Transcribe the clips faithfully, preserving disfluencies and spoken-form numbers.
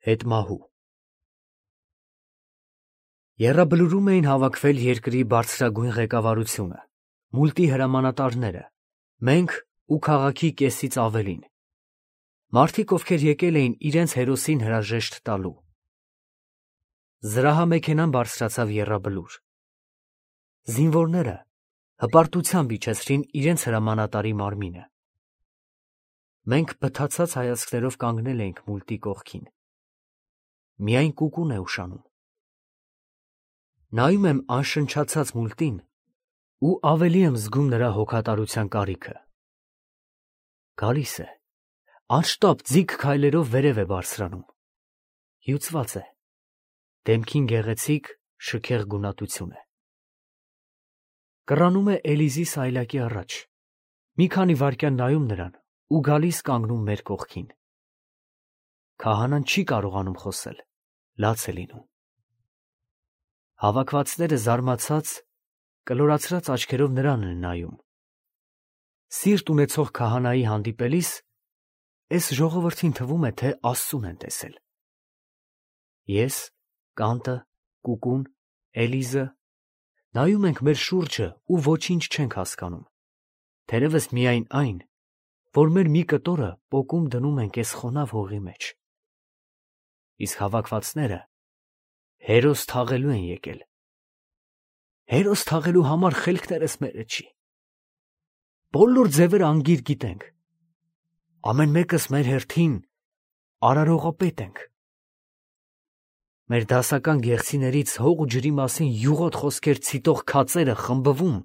Հետմահու Եռաբլուրում էին հավաքվել երկրի բարձրագույն ղեկավարությունը, մուլտի հրամանատարները, մենք ու քաղաքի կեսից ավելին, մարդիկ, ովքեր եկել էին իրենց հերոսին հրաժեշտ տալու։ Զրահամեքենան բարձրացավ եռաբլուր։ Զինվորները հպարտությամբ իջեցրին իրենց հրամանատարի մարմինը։ Մենք բթացած հայացքներով կանգնել էինք մուլտի կողքին։ Միայն կուկուն է ուշանում։ Նայում եմ անշնչացած մուլտին ու ավելի եմ զգում նրա հոգատարության կարիքը։ Գալիս է, անշտապ ձիգ քայլերով վերև է բարձրանում։ Հյուծված է, դեմքին գեղեցիկ, շքեղ գունատություն է։ Կռանում է Էլիզի սայլակի առաջ, մի քանի վայրկյան նայում նրան ու գալիս կանգնում մեր կողքին։ Քահանան չի կարողանում խոսել, լաց է լինում։ Հավաքվածները զարմացած, կլորացրած աչքերով նրան են նայում։ Սիրտ ունեցող քահանայի հանդիպելիս էս ժողովրդին թվում է, թե Աստծուն են տեսել։ Ես, Կանտը, Կուկուն, Էլիզը նայում ենք մեր շուրջը ու ոչինչ չենք հասկանում, թերևս միայն այն, որ մեր մի կտորը պոկում դնում ենք էս խոնավ հողի մեջ։ Իսկ հավաքվածները հերոս թաղելու են եկել։ Հերոս թաղելու համար խելքներս մերը չի։ Բոլոր ձևերը անգիր գիտենք։ Ամեն մեկս մեր հերթին արարողապետ ենք։ Մեր դասական գեղցիներից հող ու ջրի մասին յուղոտ խոսքեր ցիտող քածերը խմբվում,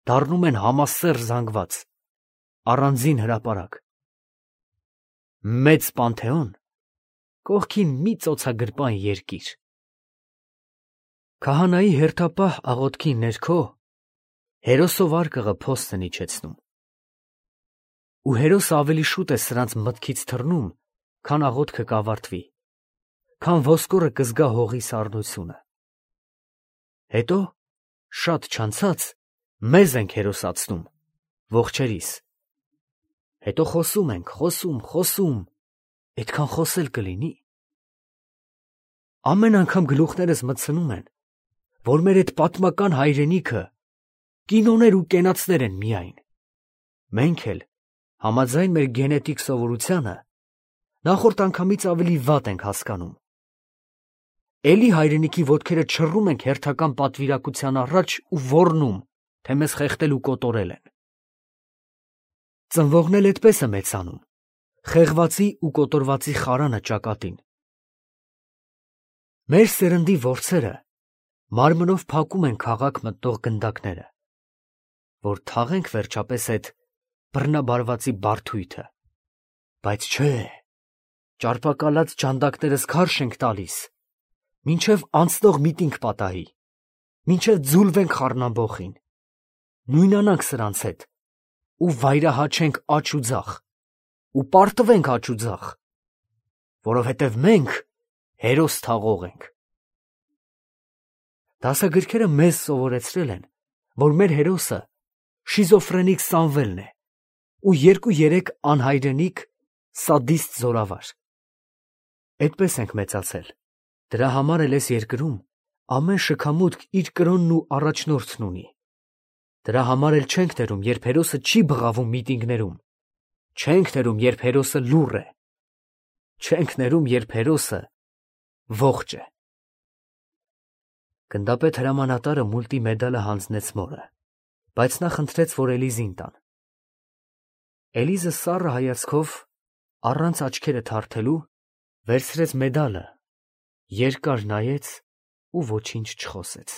դառնում են համասեռ զանգված, առանձին հրապարակ։ Մեծ Պանթեոն, կողքին մի ծոցագրպան երկիր։ Քահանայի հերթապահ աղոթքի ներքո հերոսով արկղը փոստ են իջեցնում։ Ու հերոսը ավելի շուտ է սրանց մտքից թռնում, քան աղոթքը կավարտվի, քան ոսկորը կզգա հողի սառնությունը։ Հետո, շատ չանցած, մեզ ենք հերոսացնում, ողջերիս։ Հետո խոսում ենք, խոսում, խոսում, այդքան խոսել կլինի։ Ամեն անգամ գլուխներս մտցնում են, որ մեր այդ պատմական հայրենիքը կինոներ ու կենացներ են միայն։ Մենք էլ, համաձայն մեր գենետիկ սովորությանը, նախորդ անգամից ավելի վատ ենք հասկանում։ Էլի հայրենիքի ոտքերը չռում ենք հերթական պատվիրակության առաջ ու ոռնում, թե մեզ խեղդել ու կոտորել են։ Ծնվողն էլ այդպես է մեծանում, խեղվածի ու կոտորվածի խարանը ճակատին։ Մեր սերնդի որսերը մարմնով փակում են քաղաք մտնող գնդակները, որ թաղենք վերջապես այդ բռնաբարվածի բարդույթը, բայց չէ, ճարպակալած ջանդակներս քարշ ենք տալիս, մինչև անցնող միտինգ պատահի, մինչև ձուլվենք խառնամբոխին, նույնանանք սրանց հետ ու վայրահաչենք աջ ու ձախ, ու պարտվենք աջ ու ձախ, որովհետև մենք հերոս թաղող ենք։ Դասագրքերը մեզ սովորեցրել են, որ մեր հերոսը շիզոֆրենիկ Սամվելն է ու երկու-երեք անհայրենիք սադիստ զորավար։ Այդպես ենք մեծացել, դրա համար էլ էս երկրում ամեն շքամուտք իր կրոնն ու առաջնորդն ունի։ Դրա համար էլ չենք ներում, երբ հերոսը չի բղավում միտինգներում, չենք ներում, երբ հերոսը լուռ է, չենք ներում, երբ հերոսը ողջ է։ Գնդապետ հրամանատարը մուլտի մեդալը հանձնեց մորը, բայց նա խնդրեց, որ Էլիզին տան։ Էլիզը սառը հայացքով, առանց աչքերը թարթելու, վերցրեց մեդալը, երկար նայեց ու ոչինչ չխոսեց։